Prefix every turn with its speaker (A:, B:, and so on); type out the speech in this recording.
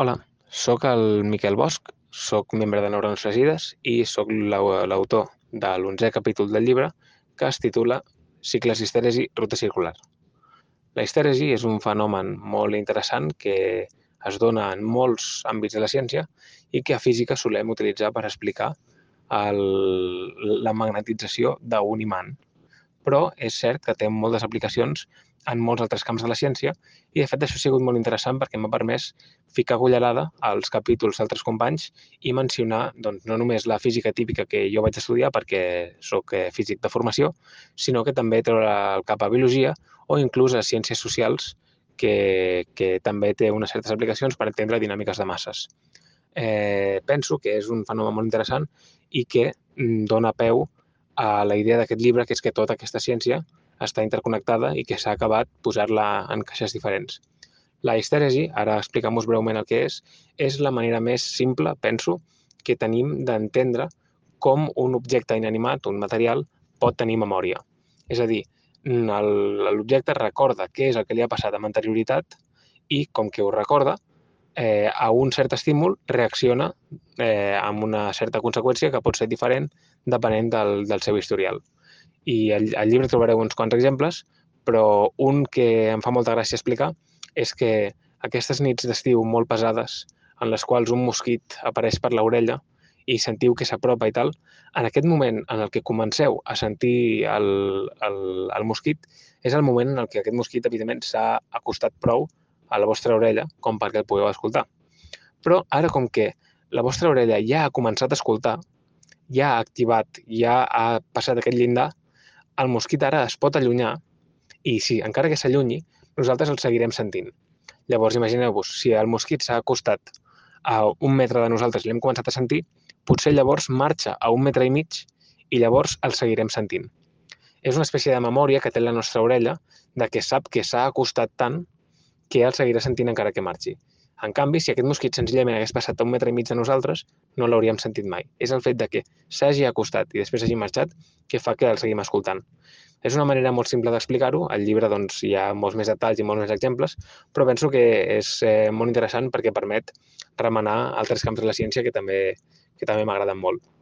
A: Hola, sóc el Miquel Bosch, sóc membre de Neurones Fregides i sóc l'autor de l'11è capítol del llibre que es titula Cicles d'histèresi, ruta circular. La histèresi és un fenomen molt interessant que es dona en molts àmbits de la ciència i que a física solem utilitzar per explicar la magnetització d'un imant. Però és cert que té moltes aplicacions en molts altres camps de la ciència i, de fet, això ha sigut molt interessant perquè m'ha permès ficar cullerada als capítols d'altres companys i mencionar doncs, no només la física típica que jo vaig estudiar perquè sóc físic de formació, sinó que també treure el cap a biologia o inclús a ciències socials que també té unes certes aplicacions per entendre dinàmiques de masses. Penso que és un fenomen molt interessant i que dona peu a la idea d'aquest llibre, que és que tota aquesta ciència està interconnectada i que s'ha acabat posar-la en caixes diferents. La histèresi, ara explicam-vos breument el que és la manera més simple, penso, que tenim d'entendre com un objecte inanimat, un material, pot tenir memòria. És a dir, l'objecte recorda què és el que li ha passat amb anterioritat i, com que ho recorda, a un cert estímul reacciona amb una certa conseqüència que pot ser diferent depenent del seu historial. I al llibre trobareu uns quants exemples, però un que em fa molta gràcia explicar és que aquestes nits d'estiu molt pesades, en les quals un mosquit apareix per l'orella i sentiu que s'apropa i tal, en aquest moment en el que comenceu a sentir el mosquit, és el moment en el que aquest mosquit, evidentment, s'ha acostat prou a la vostra orella com perquè el pugueu escoltar. Però ara, com que la vostra orella ja ha començat a escoltar, ja ha activat, ja ha passat aquest llindar, el mosquit ara es pot allunyar i, sí, encara que s'allunyi, nosaltres el seguirem sentint. Llavors, imagineu-vos, si el mosquit s'ha acostat a 1 metre de nosaltres i l'hem començat a sentir, potser llavors marxa a 1 metre i mig i llavors el seguirem sentint. És una espècie de memòria que té la nostra orella de que sap que s'ha acostat tant que el seguirà sentint encara que marxi. En canvi, si aquest mosquit senzillament hagués passat a 1 metre i mig de nosaltres, no l'hauríem sentit mai. És el fet de que s'hagi acostat i després hagi marxat que fa que el seguim escoltant. És una manera molt simple d'explicar-ho. Al llibre doncs, hi ha molts més detalls i molts més exemples, però penso que és molt interessant perquè permet remenar altres camps de la ciència que també m'agraden molt.